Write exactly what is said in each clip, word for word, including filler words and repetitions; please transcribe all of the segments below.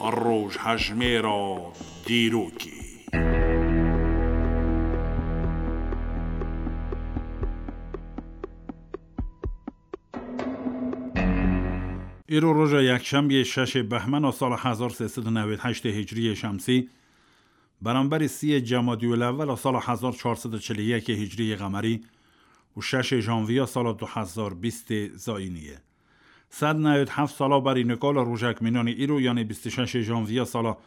Rojhejmêra dîrokê. Îro roja yekşemiyê şeşê behmena sala hezar sê sed û newêd heştê hicriyê şemsî, beramberî siyê cemadiyulewela sala hezar çar sed û çil û yekê hicriyê qemerî û şeşê janviya sala du hezar bîstê zayînî ye. Sed newêd heft sala berî nika li rojek mînanî îro, yanî bîst û şeşê janviya sala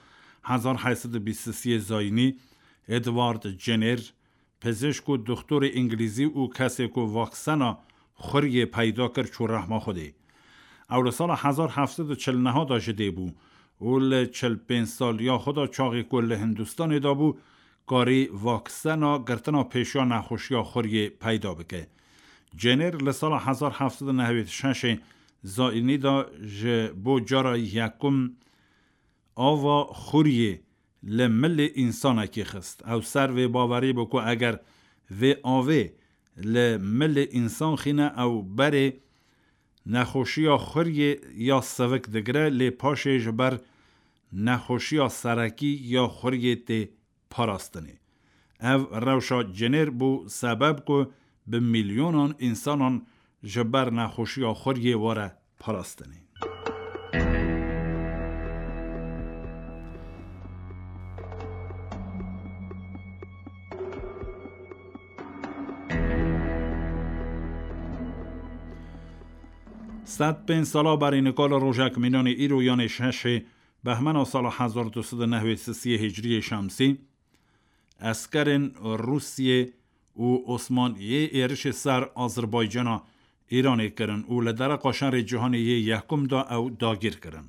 hezar heyt sed û bîst û siyê zayînî, Edward Jenner, pizişk û doxtorê îngilîzî û kesê ku vaksena xuriyê peyda kir, çû rehma Xwedê. Ew li sala hezar heft sed û çil neh de ji dê bû û li çil pênc saliya xwe de, çaxê ku li Hindistanê de bû, karî vaksena girtina pêşiya nexweşiya xuriyê peyda bike. Jenner li sala hezar heft sed û newêd şeşê zayînî de ji bo cara yekum ava xuriyê li milê însanekî xist. Ew ser vê bawerî bû ku eger vê avê li milê însan xîne, ew berê nexweşiya xuriyê ya sivik digire, lê paşê ji ber nexweşiya serekî ya xuriyê tê parastinê. Ev rewşa Jenner bû sebeb ku bi milyonan însanan ji ber nexweşiya xuriyê were parastinê. Sed pênc sala berî nika li rojek mînanê îro, yanê şeşê behmena sala hezar du sed û newêd sisiyê hicriyê şemsî, eskerên Rûsiyê û Osmaniyê êrişê ser Azerbaycana Îranê kirin û li dereqa şerê cîhanê yê yekum de ew dagîr kirin.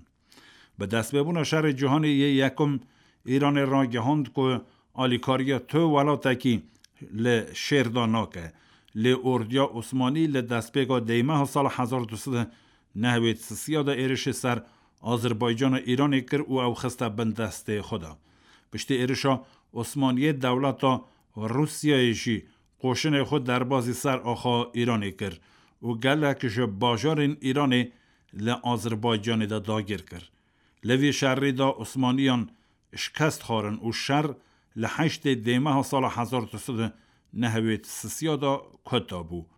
Bi destpêbûna şerê cîhanê yê yekum, Îranê ragihand ku alîkariya tu welatekî li şêr de nake. Lê ordiya Osmanî li destpêka deymeha sala hezar du sed û newêd sisiya de êrişê ser Azerbaycana Îranê kir û ew xiste bin destê xwe de. Piştî êrişa Osmaniyê, dewleta Rûsiyayê jî qoşinê xwe derbazî ser axa Îranê kir û gelek ji bajarên Îranê li Azerbaycanê de dagir kir. Li vî şerî de Osmaniyan şikest xwarin û şer li heştê dêmeha sala hezar du sed û newêd sisiya de kota bû.